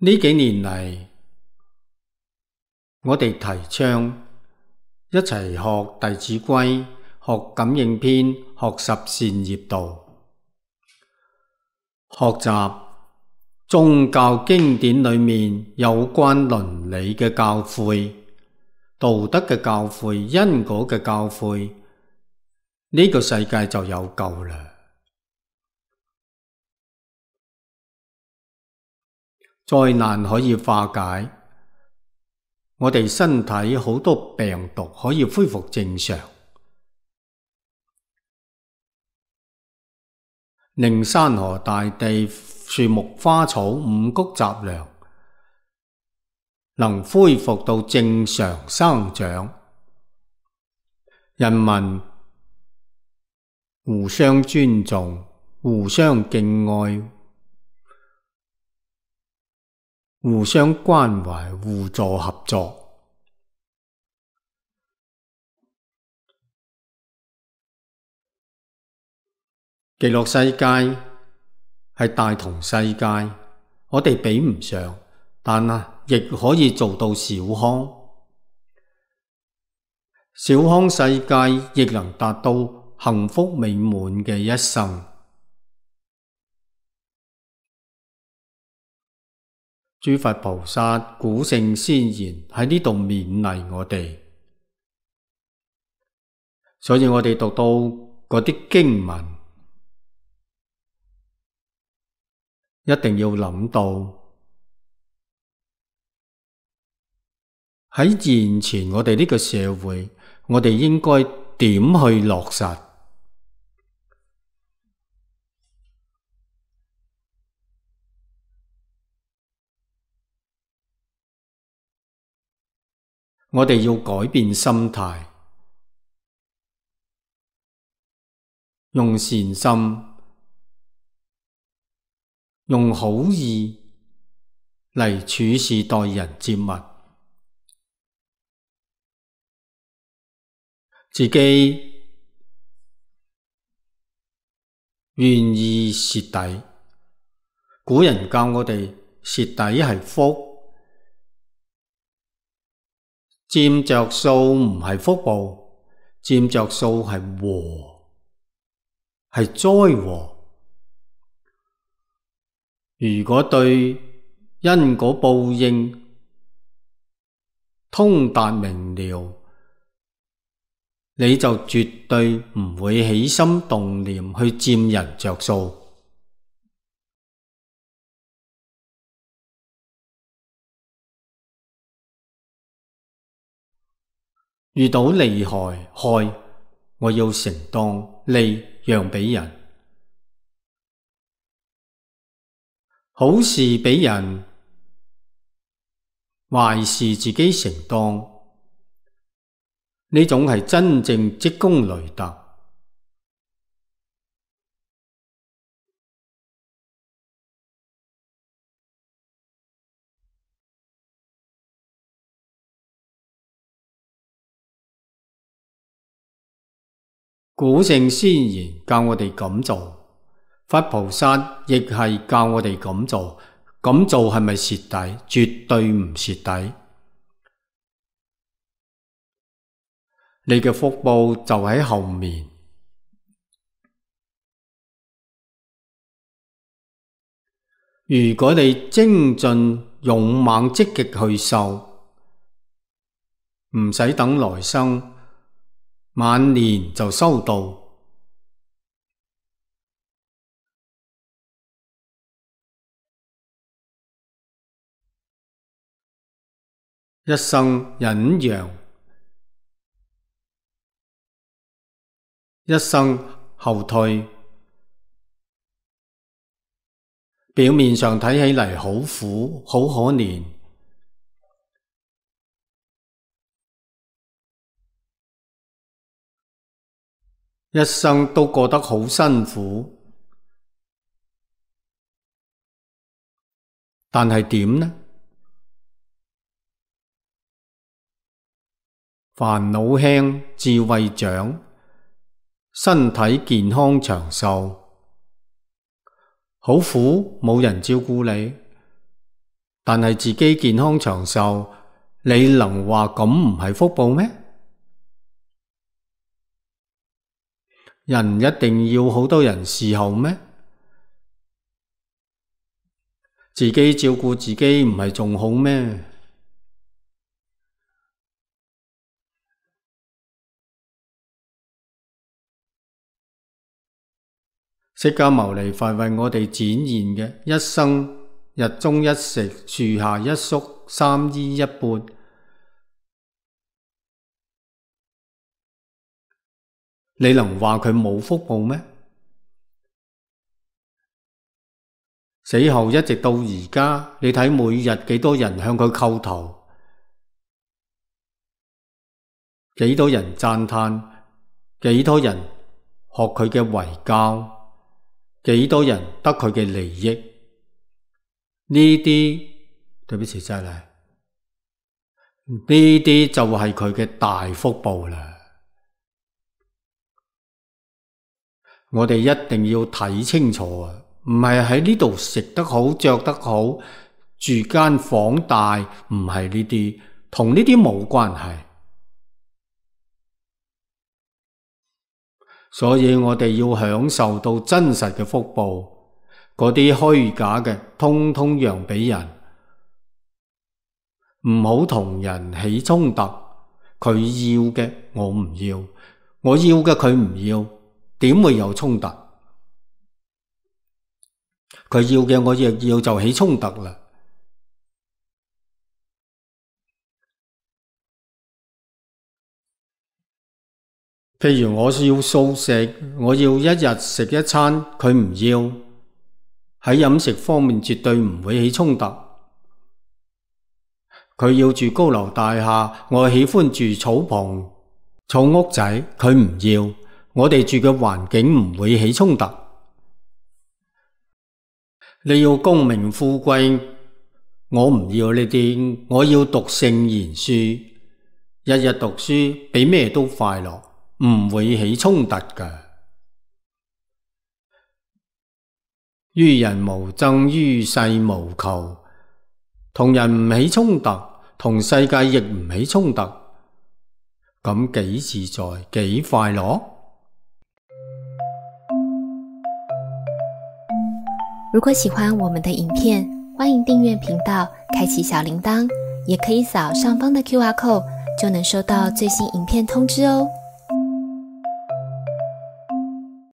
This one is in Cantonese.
呢幾年嚟，我哋提倡一齊學《弟子規》、學《感應篇》、學十善業道，學習宗教經典裏面有關倫理嘅教誨、道德嘅教誨、因果嘅教誨，呢個世界就有救啦。災難可以化解，我哋身體好多病毒可以恢復正常，令山河大地、樹木花草、五穀雜糧能恢復到正常生長，人民互相尊重、互相敬愛、互相關懷、互助合作。極樂世界係大同世界，我哋比唔上，但亦可以做到小康。小康世界亦能達到幸福美滿嘅一生。諸佛菩薩、古聖先賢喺呢度勉勵我哋，所以我哋讀到嗰啲經文，一定要諗到喺現前我哋呢個社會，我哋應該點去落實。我哋要改變心態，用善心、用好意嚟處事待人接物，自己願意蝕底。古人教我哋蝕底係福，佔着數唔係福報，佔着數係禍，係災禍。如果對因果報應通達明了，你就絕對唔會起心動念去佔人着數。遇到利害，我要承當，利讓俾人，好事俾人，壞事自己承當，呢種係真正積功累德。古聖先賢教我哋咁做，佛菩薩亦係教我哋咁做。咁做係咪蝕底？絕對唔蝕底。你嘅福報就喺後面。如果你精進、勇猛、積極去修，唔使等來生，晚年就收到。一生忍讓，一生後退，表面上睇起嚟好苦，好可憐，一生都過得好辛苦，但係點呢？煩惱輕，智慧長，身體健康長壽，好苦冇人照顧你，但係自己健康長壽，你能話咁唔係福報咩？人一定要好多人侍候咩？自己照顧自己唔係仲好咩？釋迦牟尼佛為我哋展現嘅一生日中一食，樹下一宿，三衣一缽，你能話佢冇福報咩？死後一直到而家，你睇每日幾多人向佢叩頭，幾多人讚嘆，幾多人學佢嘅遺教，幾多人得佢嘅利益？呢啲，對不起再嚟，呢啲就係佢嘅大福報啦。我哋一定要睇清楚啊！唔係喺呢度食得好、着得好、住間房大，唔係呢啲，同呢啲冇關係。所以我哋要享受到真實嘅福報，嗰啲虛假嘅，通通讓俾人，唔好同人起衝突。佢要嘅我唔要，我要嘅佢唔要，點會有衝突？佢要嘅我亦要，就起衝突啦。譬如我要素食，我要一日食一餐，佢唔要，喺飲食方面絕對唔會起衝突。佢要住高樓大廈，我喜歡住草棚、草屋仔，佢唔要，我哋住嘅環境唔會起衝突。你要功名富貴，我唔要呢啲，我要讀聖賢書，日日讀書比咩都快樂，唔會起衝突㗎。於人無爭，於世無求，同人唔起衝突，同世界亦唔起衝突，咁幾自在，幾快樂。如果喜歡我們的影片，歡迎訂閱頻道，開啟小鈴鐺，也可以掃上方的QR code，就能收到最新影片通知哦。